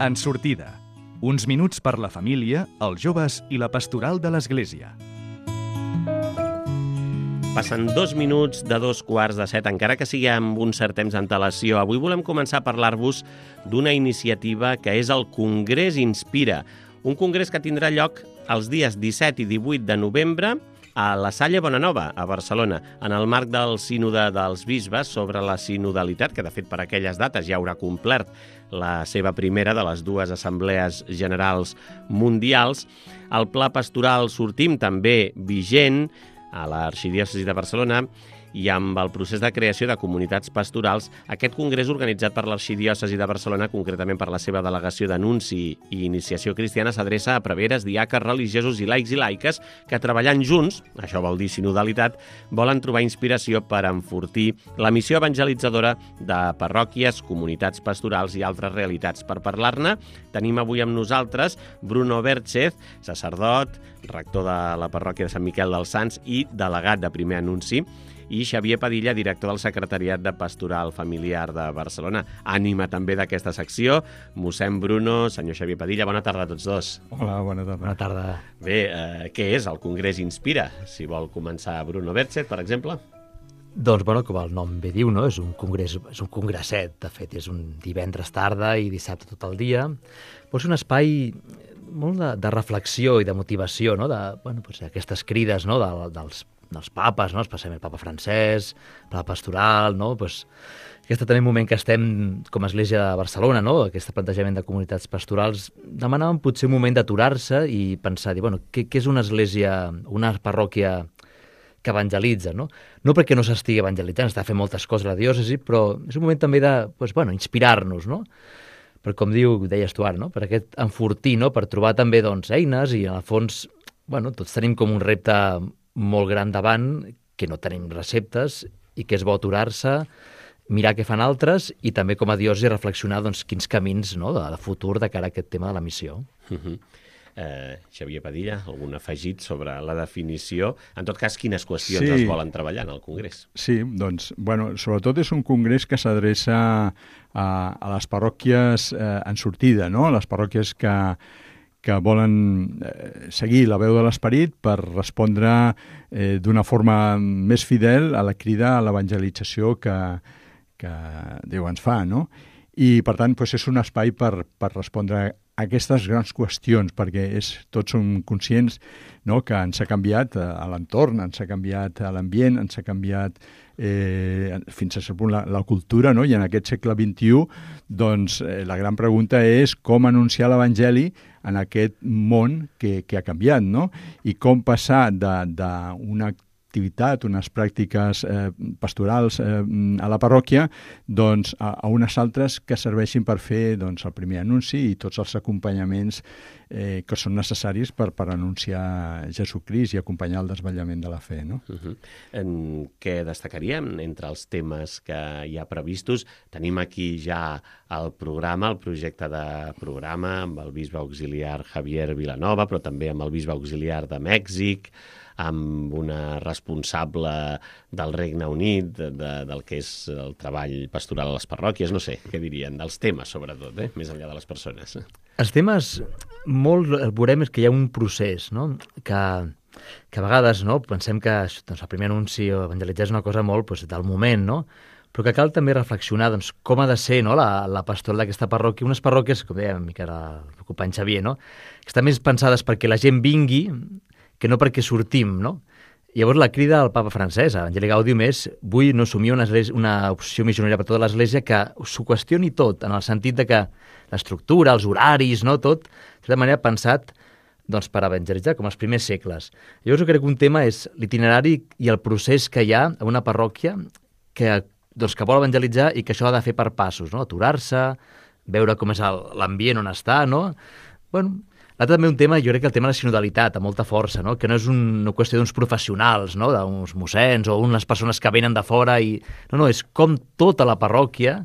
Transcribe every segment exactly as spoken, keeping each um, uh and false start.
En sortida. Uns minuts per la família, els joves i la pastoral de l'Església. Passen dos minuts de dos quarts de set, encara que sigui amb un cert temps d'antelació. Avui volem començar a parlar-vos d'una iniciativa que és el Congrés Inspira, un congrés que tindrà lloc els dies disset i divuit de novembre a la Salle Bonanova, a Barcelona, en el marc del Sínode dels Bisbes sobre la sinodalitat, que de fet per aquelles dates ja haurà complert la seva primera de les dues assemblees generals mundials. El Pla Pastoral Sortim, també vigent a l'Arxidiòcesi de Barcelona, i amb el procés de creació de comunitats pastorals, aquest congrés organitzat per l'Arxidiòcesi de Barcelona, concretament per la seva delegació d'Anunci i Iniciació Cristiana, s'adreça a preveres, diaques, religiosos i laics i laiques que, treballant junts, això vol dir sinodalitat, volen trobar inspiració per enfortir la missió evangelitzadora de parròquies, comunitats pastorals i altres realitats. Per parlar-ne, tenim avui amb nosaltres Bruno Verchez, sacerdot, rector de la parròquia de Sant Miquel dels Sants i delegat de Primer Anunci, i Xavier Padilla, director del Secretariat de Pastoral Familiar de Barcelona. Ànima també d'aquesta secció, mossèn Bruno, senyor Xavier Padilla, bona tarda a tots dos. Hola, bona tarda. Bona tarda. Bé, eh, què és el Congrés Inspira? Si vol començar Bruno Verchez, per exemple. Doncs, bueno, com el nom bé diu, no? És un congrés, és un congresset, de fet, és un divendres tarda i dissabte tot el dia. Però és un espai molt de, de reflexió i de motivació, no? De, bueno, doncs, aquestes crides, no? de, dels dels papes, no? Especialment el papa francès, el papa pastoral, no? Pues, aquest també moment que estem com a Església de Barcelona, no? Aquest plantejament de comunitats pastorals, demanàvem potser un moment d'aturar-se i pensar, dir, bueno, què, què és una església, una parròquia que evangelitza, no? No perquè no s'estigui evangelitzant, està fent moltes coses a la diòcesi, però és un moment també de, pues, bueno, inspirar-nos, no? Per com diu, deies tu ara, no? Per aquest enfortir, no? Per trobar també, doncs, eines i, en el fons, bueno, tots tenim com un repte molt gran davant, que no tenim receptes i que és bo aturar-se, mirar què fan altres i també com a diòcesi reflexionar doncs, quins camins, no, de, de futur de cara a aquest tema de la missió. Uh-huh. eh, Xavier Padilla, algun afegit sobre la definició? En tot cas, quines qüestions sí. es volen treballar en el Congrés? Sí, doncs, bueno, sobretot és un congrés que s'adreça a, a les parròquies eh, en sortida, no? Les parròquies que que volen eh, seguir la veu de l'Esperit per respondre eh, d'una forma més fidel a la crida a l'evangelització que, que Déu ens fa, no? I, per tant, doncs és un espai per, per respondre a aquestes grans qüestions, perquè és, tots som conscients, no?, que ens ha canviat a l'entorn, ens ha canviat a l'ambient, ens ha canviat eh, fins a cert punt la, la cultura, no? I en aquest segle vint-i-u, doncs, eh, la gran pregunta és com anunciar l'Evangeli en aquest món que, que ha canviat, no? I com passar d'una activitat, unes pràctiques eh, pastorals eh, a la parròquia, doncs a, a unes altres que serveixin per fer doncs, el primer anunci i tots els acompanyaments eh, que són necessaris per, per anunciar Jesucrist i acompanyar el desvetllament de la fe, no? Uh-huh. En què destacaríem entre els temes que hi ha previstos? Tenim aquí ja el programa, el projecte de programa amb el bisbe auxiliar Javier Vilanova, però també amb el bisbe auxiliar de Mèxic, amb una responsable del Regne Unit, de, de, del que és el treball pastoral a les parròquies, no sé, què dirien, dels temes, sobretot, eh? Més enllà de les persones. Els temes, molt el veurem és que hi ha un procés, no?, que, que a vegades, no?, pensem que doncs, el primer anunci o evangelitzar és una cosa molt doncs, del moment, no?, però que cal també reflexionar doncs, com ha de ser, no?, la, la pastoral d'aquesta parròquia. Unes parròquies, com deia mica el company Xavier, no?, que estan més pensades perquè la gent vingui que no perquè sortim, no? Llavors la crida del papa francès, a Evangelii Gaudium, és vull no assumir una, una opció missionària per tota l'Església que s'ho qüestioni tot, en el sentit de que l'estructura, els horaris, no, tot, de tota manera pensat doncs, per evangelitzar, com els primers segles. Llavors jo crec que un tema és l'itinerari i el procés que hi ha a una parròquia que, doncs, que vol evangelitzar i que això ha de fer per passos, no? Aturar-se, veure com és l'ambient on està, no? Bueno, l'altre també un tema, jo crec que el tema de la sinodalitat, amb molta força, no? Que no és una qüestió d'uns professionals, no? D'uns mossens o unes persones que venen de fora i... No, no, és com tota la parròquia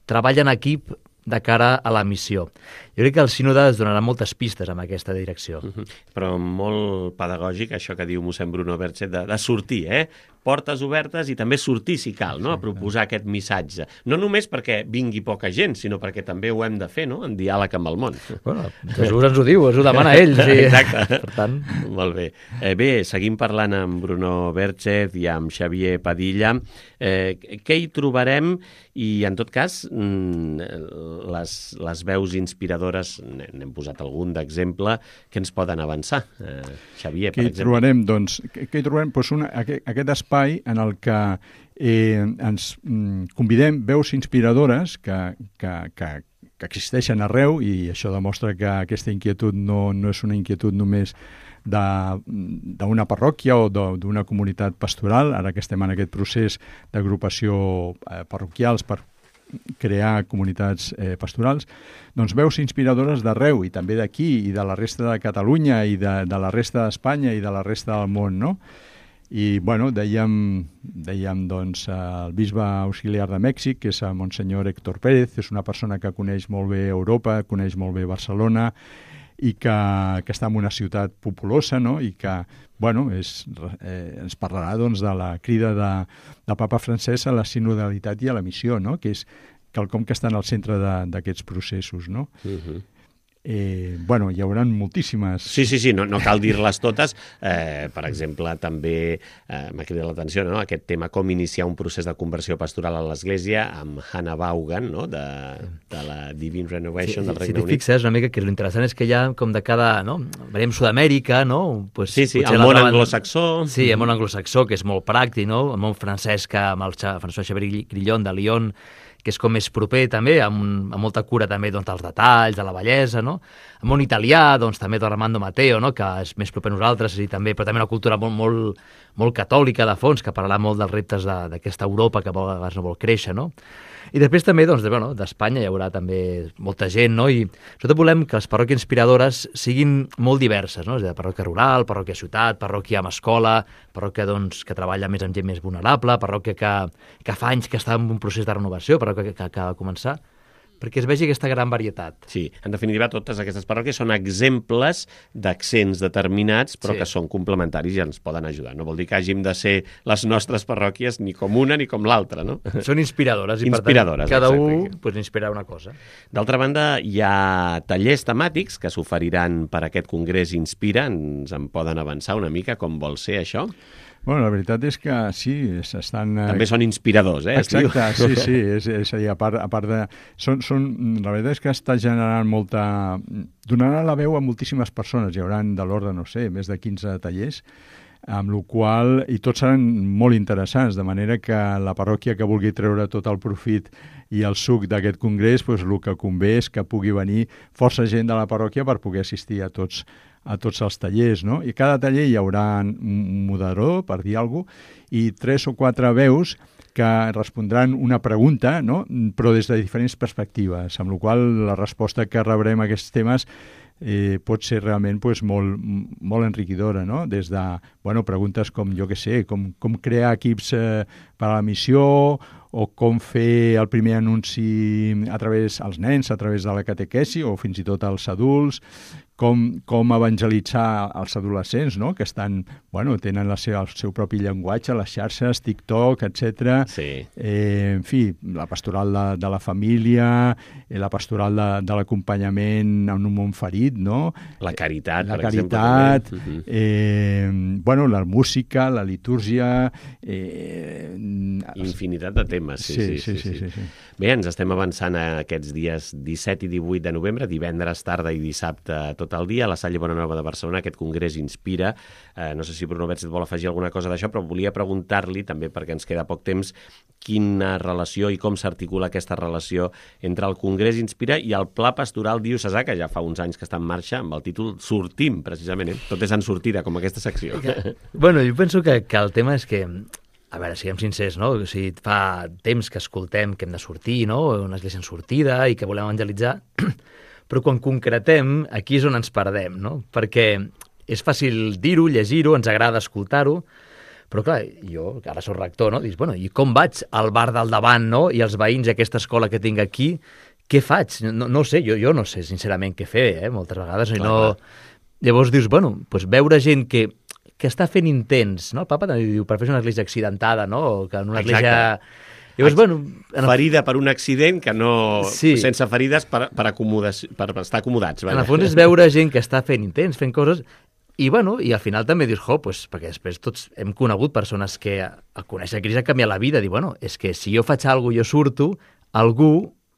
treballa en equip de cara a la missió. Jo crec que el sínode es donarà moltes pistes en aquesta direcció. Uh-huh. Però molt pedagògic, això que diu mossèn Bruno Verchez, de, de sortir, eh? portes obertes i també sortir, si cal, no? A proposar aquest missatge. No només perquè vingui poca gent, sinó perquè també ho hem de fer, no? En diàleg amb el món. Bueno, Jesús ens ho diu, ens ho demana ell. Sí. Exacte. Per tant... Molt bé. Eh, bé, seguim parlant amb Bruno Berchez i amb Xavier Padilla. Eh, què hi trobarem? I, en tot cas, les, les veus inspiradores, n'hem posat algun d'exemple, que ens poden avançar. Eh, Xavier, per què exemple. Trobarem, doncs, què, què hi trobarem? Doncs una, aquest, aquest espai en el que eh, ens mm, convidem veus inspiradores que, que, que, que existeixen arreu, i això demostra que aquesta inquietud no, no és una inquietud només d'una parròquia o d'una comunitat pastoral, ara que estem en aquest procés d'agrupació eh, parroquials per crear comunitats eh, pastorals, doncs veus inspiradores d'arreu, i també d'aquí, i de la resta de Catalunya, i de, de la resta d'Espanya, i de la resta del món, no? I, bueno, dèiem, dèiem doncs, el bisbe auxiliar de Mèxic, que és el Monsenyor Héctor Pérez, és una persona que coneix molt bé Europa, coneix molt bé Barcelona, i que, que està en una ciutat populosa, no? I que, bueno, és, eh, ens parlarà doncs, de la crida de, de Papa Francesc a la sinodalitat i a la missió, no? Que és quelcom que està en el centre d'aquests processos, no? Uh-huh. Eh, bueno, hi haurà moltíssimes... Sí, sí, sí, no, no cal dir-les totes. Eh, per exemple, també eh, m'ha cridat l'atenció, no? Aquest tema, com iniciar un procés de conversió pastoral a l'Església, amb Hannah Vaughan, no? de, de la Divine Renovation sí, del Regne si Unit. Si t'hi fixes una mica, que l'interessant és que hi ha com de cada... No? Veiem Sud-amèrica, no? Pues, sí, sí, el món troben... anglosaxó. Sí, el món anglosaxó, que és molt pràctic, no? El món francès, que amb el François Xavier Grillon de Lyon, que és com més proper també, amb, un, amb molta cura també doncs, dels detalls, de la bellesa, no? El món italià, doncs també d'Armando Matteo, no? Que és més proper a nosaltres, i també, però també una cultura molt, molt, molt catòlica de fons, que parlarà molt dels reptes d'aquesta Europa que a vegades no vol créixer, no? I després també, doncs, de, bueno, d'Espanya hi haurà també molta gent, no? I sobretot volem que les parròquies inspiradores siguin molt diverses, no? És a dir, parròquia rural, parròquia ciutat, parròquia amb escola, parròquia, doncs, que treballa més amb gent més vulnerable, parròquia que, que fa anys que està en un procés de renovació, parròquia que, que acaba de començar, perquè es vegi aquesta gran varietat. Sí, en definitiva, totes aquestes parròquies són exemples d'accents determinats, però sí, que són complementaris i ens poden ajudar. No vol dir que hàgim de ser les nostres parròquies ni com una ni com l'altra, no? Són inspiradores, i inspiradores, per tant, cada exacte. un pues, inspira una cosa. D'altra banda, hi ha tallers temàtics que s'oferiran per aquest Congrés Inspira. Ens en poden avançar una mica com vol ser això? Bueno, la veritat és que sí, s'estan... També són inspiradors, eh? Exacte, sí, sí, és, és a dir, a part, a part de... Són, són, la veritat és que està generant molta... Donarà la veu a moltíssimes persones, hi haurà de l'ordre, no sé, més de quinze tallers, amb la qual i tots seran molt interessants, de manera que la parròquia que vulgui treure tot el profit i el suc d'aquest congrés, doncs el que convé és que pugui venir força gent de la parròquia per poder assistir a tots a tots els tallers, no? I cada taller hi haurà un moderador, per dir alguna cosa, i tres o quatre veus que respondran una pregunta, no? Però des de diferents perspectives, amb la qual la resposta que rebrem a aquests temes eh, pot ser realment pues, molt, molt enriquidora, no? Des de bueno, preguntes com, jo què sé, com, com crear equips eh, per a la missió, o com fer el primer anunci a través als nens, a través de la catequesi, o fins i tot als adults, com, com evangelitzar els adolescents, no? Que estan, bueno, tenen la seva, el seu propi llenguatge, les xarxes, TikTok, etcètera. Sí. Eh, en fi, la pastoral de, de la família, eh, la pastoral de, de l'acompanyament en un món ferit, no? La caritat, la per caritat, exemple. Uh-huh. eh, bueno, la música, la litúrgia... Eh, infinitat de temes, sí sí sí, sí, sí, sí, sí. Bé, ens estem avançant a aquests dies disset i divuit de novembre, divendres tarda i dissabte tot el dia, a la Salle Bonanova de Barcelona, aquest congrés Inspira. Eh, no sé si Bruno Berchez vol afegir alguna cosa d'això, però volia preguntar-li, també perquè ens queda poc temps, quina relació i com s'articula aquesta relació entre el congrés Inspira i el Pla Pastoral Diocesà, que ja fa uns anys que està en marxa, amb el títol Sortim, precisament. Eh? Tot és en sortida, com aquesta secció. Bueno, jo penso que, que el tema és que, a veure, siguem sincers, no? O sigui, fa temps que escoltem que hem de sortir, no? Una església en sortida i que volem evangelitzar, però quan concretem, aquí és on ens perdem, no? Perquè és fàcil dir-ho, llegir-ho, ens agrada escoltar-ho, però clar, jo, que ara soc rector, no? Dius, bueno, i com vaig al bar del davant, no? I els veïns d'aquesta escola que tinc aquí, què faig? No, no sé, jo, jo no sé sincerament què fer, eh? Moltes vegades. Clar, no... Llavors dius, bueno, doncs veure gent que que està fent intents, no? El papa també diu, per fer una església accidentada, no? O que en una Exacte. església... Llavors, bueno, en el... Ferida per un accident que no... Sí. Sense ferides per, per, acomodació, per estar acomodats. En el fons és veure gent que està fent intents, fent coses, i, bueno, i al final també dius, jo, pues, perquè després tots hem conegut persones que al conèixer Crist ha canviat la vida, diu, bueno, és que si jo faig alguna cosa, jo surto, algú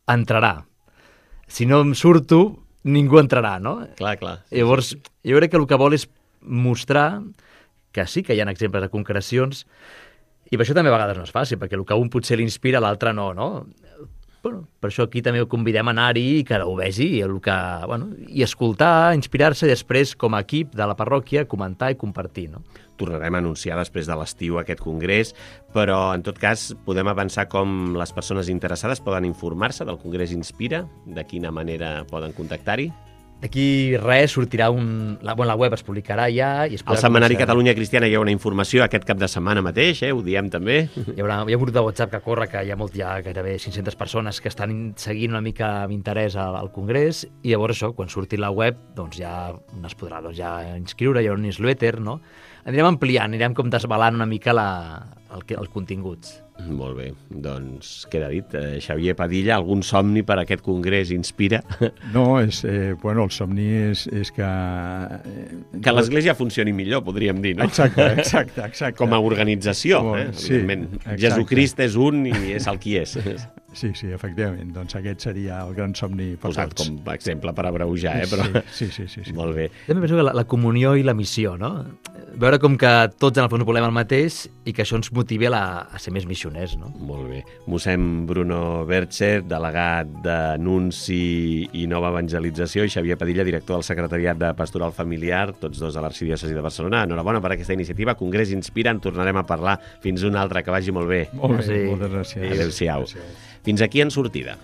entrarà. Si no em surto, ningú entrarà, no? Clar, clar. Sí, Llavors, sí. jo crec que el que vol és mostrar que sí que hi ha exemples de concrecions, i per això també a vegades no és fàcil, perquè el que a un potser l'inspira, l'altre no, no? Bueno, per això aquí també ho convidem a anar-hi i que ho vegi i, el que, bueno, i escoltar, inspirar-se i després, com a equip de la parròquia, comentar i compartir, no? Tornarem a anunciar després de l'estiu aquest congrés, però en tot cas podem avançar com les persones interessades poden informar-se del Congrés Inspira, de quina manera poden contactar-hi. D'aquí res sortirà un... La, bueno, la web es publicarà ja i es Al Setmanari Catalunya Cristiana hi ha una informació aquest cap de setmana mateix, eh? Ho diem també. Hi haurà, hi ha un grup de WhatsApp que corre, que hi ha, molt, hi ha gairebé cinc-centes persones que estan seguint una mica amb interès al, al Congrés, i llavors això, quan surti la web, doncs ja es podrà doncs, ja inscriure, hi ha un newsletter, no? Anirem ampliant, anirem com desvelant una mica la, el, els continguts. Molt bé, doncs queda dit. Eh, Xavier Padilla, algun somni per a aquest congrés Inspira? No, és, eh, bueno, el somni és, és que... Eh, que l'Església funcioni millor, podríem dir, no? Exacte, exacte, exacte. Com a organització, Com, eh? sí, Evidentment. Jesucrist és un i és el qui és. Sí, sí, efectivament. Doncs aquest seria el gran somni per Posat tots. com a exemple per abreujar, eh? Però... Sí, sí, sí, sí. Molt bé. També penso que la, la comunió i la missió, no? Veure com que tots en el fons volem el mateix i que això ens motivi a, la, a ser més missioners, no? Molt bé. Mossèn Bruno Bercher, delegat d'Anunci i Nova Evangelització, i Xavier Padilla, director del Secretariat de Pastoral Familiar, tots dos a l'Arxidiòcesi de Barcelona. Enhorabona per aquesta iniciativa. Congrés Inspira, en tornarem a parlar fins una altra. Que vagi molt bé. Molt bé, Sí. moltes gràcies. Adéu-siau. Fins aquí en sortida.